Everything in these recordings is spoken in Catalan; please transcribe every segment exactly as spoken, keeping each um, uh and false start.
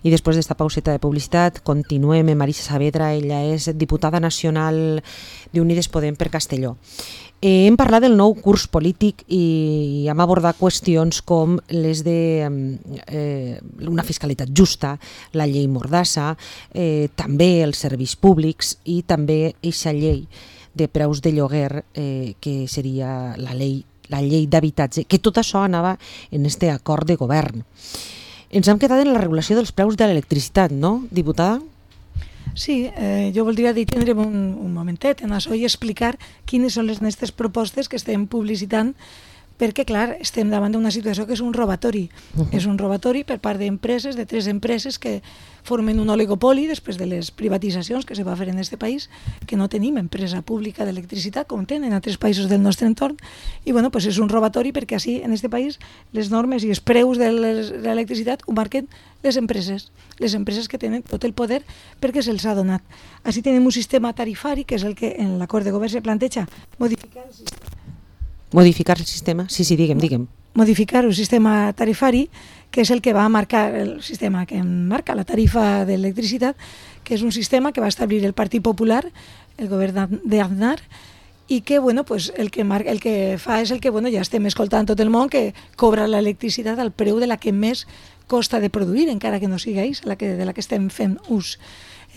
I després d'esta pauseta de publicitat continuem amb Marisa Saavedra, ella és diputada nacional d'Unides Podem per Castelló. Eh, hem parlat del nou curs polític i hem abordat qüestions com les de eh, una fiscalitat justa, la llei Mordassa, eh, també els serveis públics i també aquesta llei de preus de lloguer eh, que seria la llei, la llei d'habitatge, que tot això anava en este acord de govern. Ens hem quedat en la regulació dels preus de l'electricitat, no, diputada? Sí, eh, jo voldria detindre'm un, un momentet en això i explicar quines són les nostres propostes que estem publicitant, perquè, clar, estem davant d'una situació que és un robatori. Uh-huh. És un robatori per part d'empreses, de tres empreses que formen un oligopoli després de les privatitzacions que se va fer en aquest país, que no tenim empresa pública d'electricitat com tenen a altres països del nostre entorn, i bueno, pues és un robatori perquè així en aquest país les normes i els preus de l'electricitat ho marquen les empreses, les empreses que tenen tot el poder perquè se'ls ha donat. Així tenim un sistema tarifari, que és el que en l'acord de govern se planteja modificar el sistema. Modificar el sistema? Sí, sí, digue'm, digue'm. Modificar un sistema tarifari, que és el que va marcar el sistema que marca la tarifa d'electricitat, que és un sistema que va establir el Partit Popular, el govern d'Aznar, i que, bueno, pues el que marca, el que fa és el que, bueno, ja estem escoltant tot el món, que cobra l'electricitat al preu de la que més costa de produir, encara que no sigui ells, la que, de la que estem fent ús.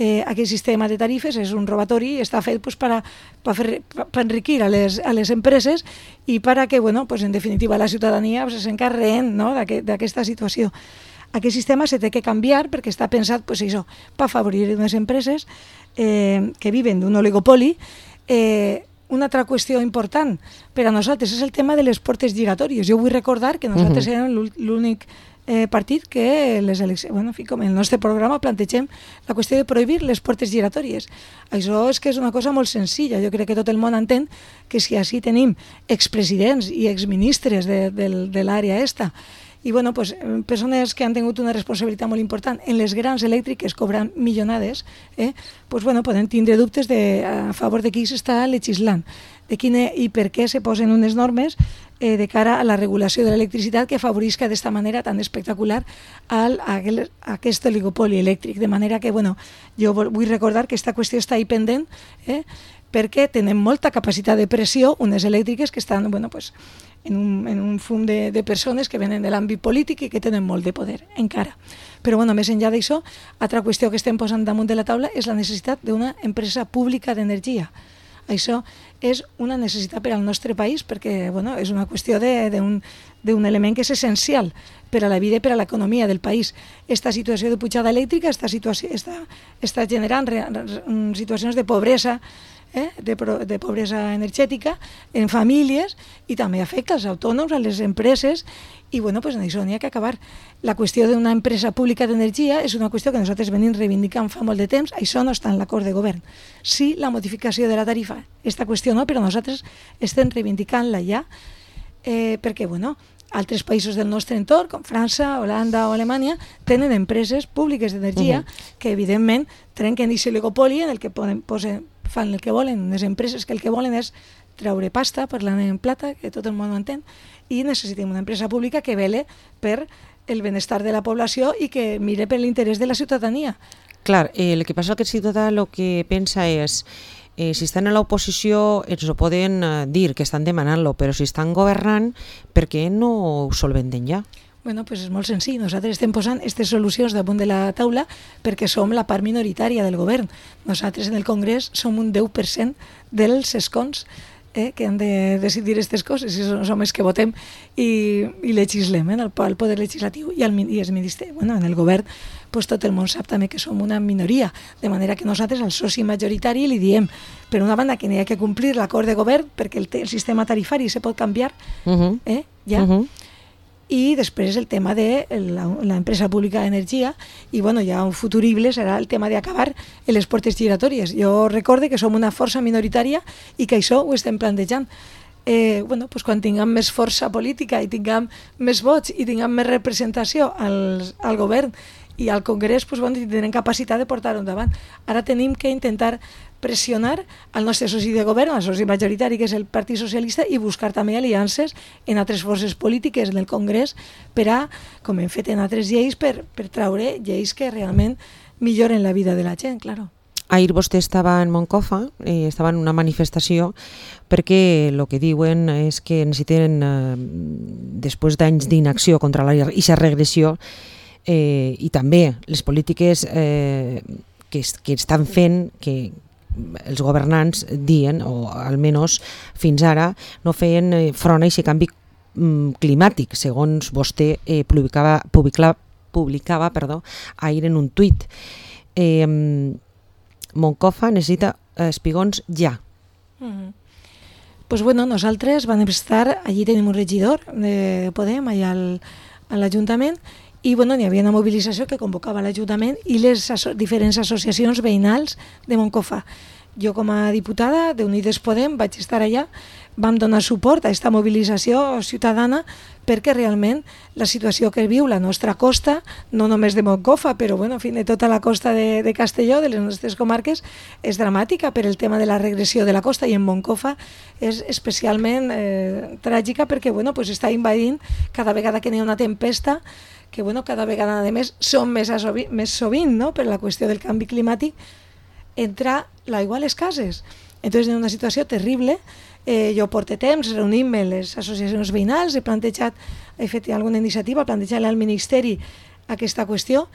Eh, aquest sistema de tarifes és un robatori i està fet pues, per, a, per, per enriquir a les, a les empreses i per a que, bueno, pues, en definitiva, la ciutadania pues, s'encarreguen, no?, d'aquesta situació. Aquest sistema se té que canviar perquè està pensat pues, això, per afavorir unes empreses eh, que viven d'un oligopoli. Eh, una altra qüestió important per a nosaltres és el tema de les portes giratòries. Jo vull recordar que nosaltres uh-huh. érem l'únic Eh, partit que les eleccions, bueno, en fi, com en el nostre programa plantegem la qüestió de prohibir les portes giratòries. Això és que és una cosa molt senzilla. Jo crec que tot el món entén que si així tenim expresidents i exministres de, de, de l'àrea esta i bueno, pues, persones que han tingut una responsabilitat molt important en les grans elèctriques cobrant milionades, eh, pues, bueno, poden tindre dubtes de, a favor de qui s'està legislant, de quina i per què se posen unes normes eh, de cara a la regulació de l'electricitat que afavorisca d'esta manera tan espectacular al, a, a aquest oligopoli elèctric. De manera que, bueno, jo vull recordar que aquesta qüestió està ahí pendent, eh, perquè tenen molta capacitat de pressió, unes elèctriques que estan, bueno, pues, en un, en un fum de, de persones que venen de l'àmbit polític i que tenen molt de poder, encara. Però, bueno, més enllà d'això, altra qüestió que estem posant damunt de la taula és la necessitat d'una empresa pública d'energia. Això és una necessitat per al nostre país perquè, bueno, és una qüestió d'un element que és essencial per a la vida i per a l'economia del país. Esta situació de pujada elèctrica està, situació, està, està generant re, re, situacions de pobresa, Eh, de, de pobresa energètica en famílies i també afecta als autònoms, a les empreses i bueno, pues en això n'hi ha que acabar. La qüestió d'una empresa pública d'energia és una qüestió que nosaltres venim reivindicant fa molt de temps, això no està en l'acord de govern. Sí, la modificació de la tarifa, aquesta qüestió no, però nosaltres estem reivindicant-la ja eh, perquè, bueno, altres països del nostre entorn, com França, Holanda o Alemanya, tenen empreses públiques d'energia uh-huh. que, evidentment, trenquen aquest oligopoli en el que poden, posen, fan el que volen, unes empreses que el que volen és treure pasta, parlant en plata, que tot el món ho entén, i necessitem una empresa pública que vele per el benestar de la població i que mire per l'interès de la ciutadania. Clar, eh, el que passa és que el ciutadà el que pensa és Eh, si estan a l'oposició ens ho poden eh, dir que estan demanant-lo, però si estan governant, per què no ho solventen ja? Bueno, pues és molt senzill. Nosaltres estem posant aquestes solucions damunt de la taula perquè som la part minoritària del govern. Nosaltres en el Congrés som un deu per cent dels escons eh, que han de decidir aquestes coses, i som els que votem i, i legislem eh, el, el poder legislatiu i el, i el ministeri. Bueno, en el govern pues tot el món sap també que som una minoria, de manera que nosaltres al soci majoritari li diem, per una banda, que n'hi ha que complir l'acord de govern perquè el, el sistema tarifari se pot canviar, uh-huh. eh, ja, uh-huh. i després el tema de l'empresa pública d'energia, i bueno, ja un futurible serà el tema d'acabar en les portes giratòries. Jo recorde que som una força minoritària i que això ho estem plantejant. Eh, bueno, pues quan tinguem més força política i tinguem més vots i tinguem més representació al, al govern i al Congrés pues, bueno, tindrem capacitat de portar-ho endavant. Ara tenim que intentar pressionar al nostre soci de govern, el soci majoritari que és el Partit Socialista, i buscar també aliances en altres forces polítiques del Congrés per a, com hem fet en altres lleis, per, per traure lleis que realment milloren la vida de la gent, claro. Ahir vostè estava en Moncofa, eh, estava en una manifestació, perquè el que diuen és que necessiten, eh, després d'anys d'inacció contra aquesta regressió, eh, i també les polítiques eh, que, que estan fent, que els governants diuen, o almenys fins ara, no feien front a aquest canvi climàtic, segons vostè eh, publicava, publicava, publicava perdó, ahir en un tuit. Eh, Moncofa necessita espigons ja. Mm-hmm. Pues bueno, nosaltres vam estar, allí tenim un regidor de Podem, allà al, a l'Ajuntament, i bueno, hi havia una mobilització que convocava l'Ajuntament i les aso diferents associacions veïnals de Moncofa. Jo com a diputada d'Unides Podem vaig estar allà, vam donar suport a aquesta mobilització ciutadana perquè realment la situació que viu la nostra costa, no només de Moncofa, però bueno, en fi, de tota la costa de, de Castelló, de les nostres comarques, és dramàtica per el tema de la regressió de la costa, i en Moncofa és especialment eh, tràgica perquè bueno, pues està invadint cada vegada que n'hi ha una tempesta, que bueno, cada vegada a més són més, sovint, més sovint, no? Per la qüestió del canvi climàtic, entra l'aigua a les cases. Entonces, en una situació terrible, eh, jo porto temps reunint-me les associacions veïnals, he plantejat, he fet alguna iniciativa, plantejant al Ministeri aquesta qüestió,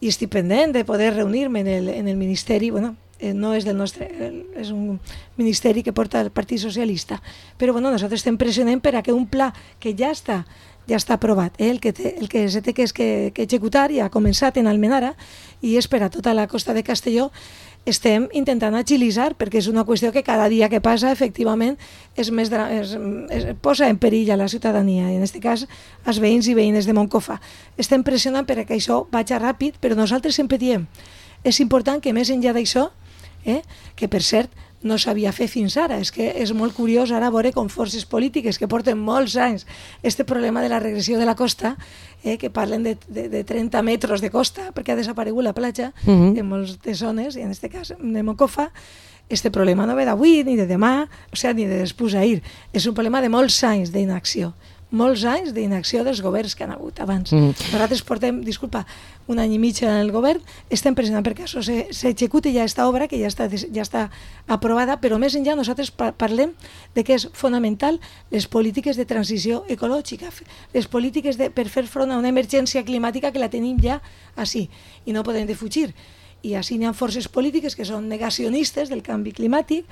i estic pendent de poder reunir-me en el, en el Ministeri, bueno, eh, no és del nostre, és un ministeri que porta el Partit Socialista, però bueno, nosaltres estem pressionant per a que un pla que ja està ja està aprovat, eh? el, que té, el que se té que, és que, que executar ja ha començat en Almenara i és per a tota la costa de Castelló. Estem intentant agilitzar perquè és una qüestió que cada dia que passa efectivament és més, és, és, posa en perill a la ciutadania, i en aquest cas els veïns i veïnes de Moncofa. Estem pressionant perquè això vagi ràpid, però nosaltres sempre diem, és important que més enllà d'això, eh, que per cert no s'havia fet fins ara, és que és molt curiós ara veure com forces polítiques que porten molts anys este problema de la regressió de la costa, eh, que parlen de, de, de trenta metres de costa perquè ha desaparegut la platja uh-huh. en moltes zones, i en aquest cas de Moncofa. Este problema no ve d'avui ni de demà, o sigui, ni de després d'ahir, és un problema de molts anys d'inacció, molts anys d'inacció dels governs que han hagut abans. Mm. Nosaltres portem, disculpa, un any i mig en el govern, estem pressionant perquè això s'executi ja aquesta obra, que ja està, ja està aprovada, però més enllà nosaltres parlem de que és fonamental les polítiques de transició ecològica, les polítiques de, per fer front a una emergència climàtica que la tenim ja així, i no podem defugir. I així hi ha forces polítiques que són negacionistes del canvi climàtic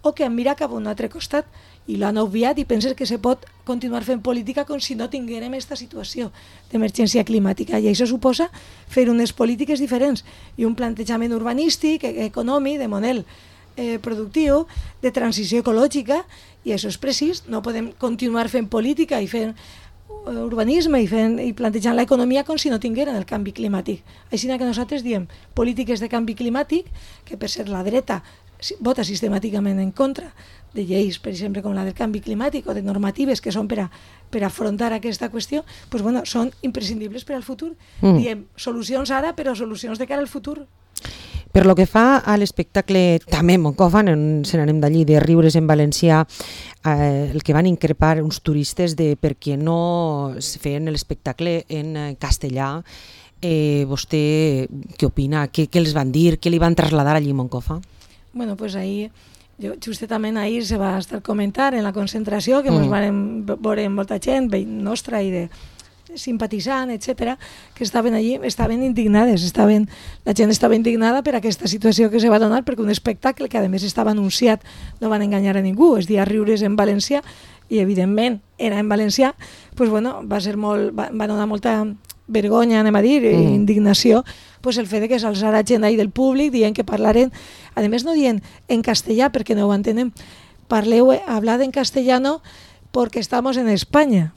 o que han mirat cap a un altre costat i l'han obviat i pensen que se pot continuar fent política com si no tinguérem aquesta situació d'emergència climàtica. I això suposa fer unes polítiques diferents i un plantejament urbanístic, econòmic, de model eh, productiu, de transició ecològica, i això és precís. No podem continuar fent política i fent urbanisme i, fent, i plantejant l'economia com si no tingueren el canvi climàtic. Així que nosaltres diem polítiques de canvi climàtic, que per ser la dreta vota sistemàticament en contra de lleis, per exemple, com la del canvi climàtic o de normatives que són per a, per a afrontar aquesta qüestió, doncs, bueno, són imprescindibles per al futur. Mm. Diem solucions ara, però solucions de cara al futur. Per lo que fa a l'espectacle també Moncofa, se n'anem d'allí, de Riures en Valencià, eh, el que van increpar uns turistes de per què no es feien l'espectacle en castellà. Eh, vostè què opina? Què, què els van dir? Què li van traslladar allí a Moncofa? Bueno, pues ahí, jo, justament ahir se va estar comentant en la concentració que mm. ens van veure molta gent nostra i de simpatitzant, etcètera, que estaven allí, estaven indignades, estaven, la gent estava indignada per aquesta situació que se va donar, perquè un espectacle que a més estava anunciat, no van enganyar a ningú, es dia Riures en Valencià, i evidentment era en valencià, pues bueno, va ser molt, va, va donar molta vergonya, anem a dir, mm. indignació, pues el fet de que s'alçara gent ahí del públic dient que parlaren, a més no dient en castellà perquè no ho entenem, parleu, hablad en castellano porque estamos en España,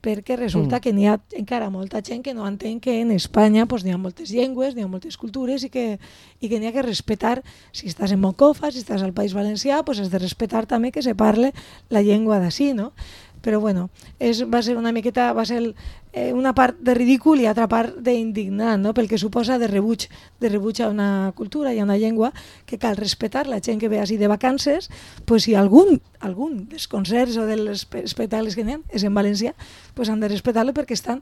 perquè resulta mm. que n'hi ha encara molta gent que no entén que en Espanya pues, n'hi ha moltes llengües, n'hi ha moltes cultures i que, i que n'hi ha que respetar, si estàs en Moncofa, si estàs al País Valencià, pues has de respetar també que se parle la llengua d'ací, no? Però bueno, és, va ser una miqueta, va ser el, eh, una part de ridícul i altra part d'indignant, no? Pel que suposa de rebuig, de rebuig a una cultura i a una llengua que cal respectar. La gent que ve així de vacances, pues, si algun, algun dels concerts o dels espectacles que n'hi ha és en valencià, pues han de respectar-lo perquè estan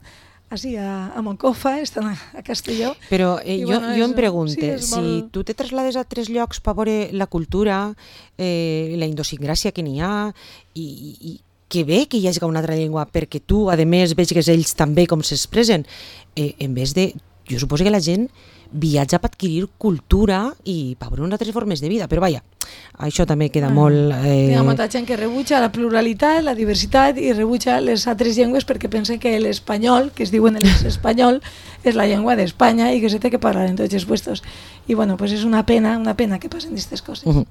així a, a Moncofa, estan a, a Castelló. Però eh, jo, bueno, jo em pregunte, sí, si molt... tu te traslades a tres llocs per veure la cultura, eh, la idiosincràsia que n'hi ha, i, i que bé que hi hagi una altra llengua, perquè tu, a més, veig que ells també com s'expressen, eh, en vez de... Jo suposo que la gent viatja per adquirir cultura i per veure unes altres formes de vida, però vaja, això també queda ah, molt... Eh... Hi ha molta gent que rebutja la pluralitat, la diversitat i rebutja les altres llengües perquè pensen que l'espanyol, que es diuen l'espanyol, és la llengua d'Espanya i que se té que parlar en tots els puestos. I bueno, pues és una pena, una pena que passen aquestes coses. Uh -huh.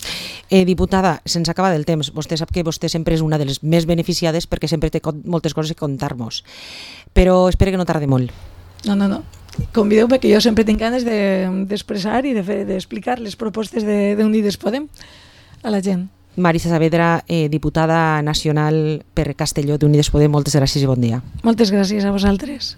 eh, diputada, se'ns acaba del temps. Vostè sap que vostè sempre és una de les més beneficiades perquè sempre té moltes coses que contar-nos. Però espero que no tardi molt. No, no, no. Convideu-me, que jo sempre tinc ganes d'expressar de, i d'explicar de les propostes d'Unides Podem a la gent. Marisa Saavedra, eh, diputada nacional per Castelló d'Unides Podem, moltes gràcies i bon dia. Moltes gràcies a vosaltres.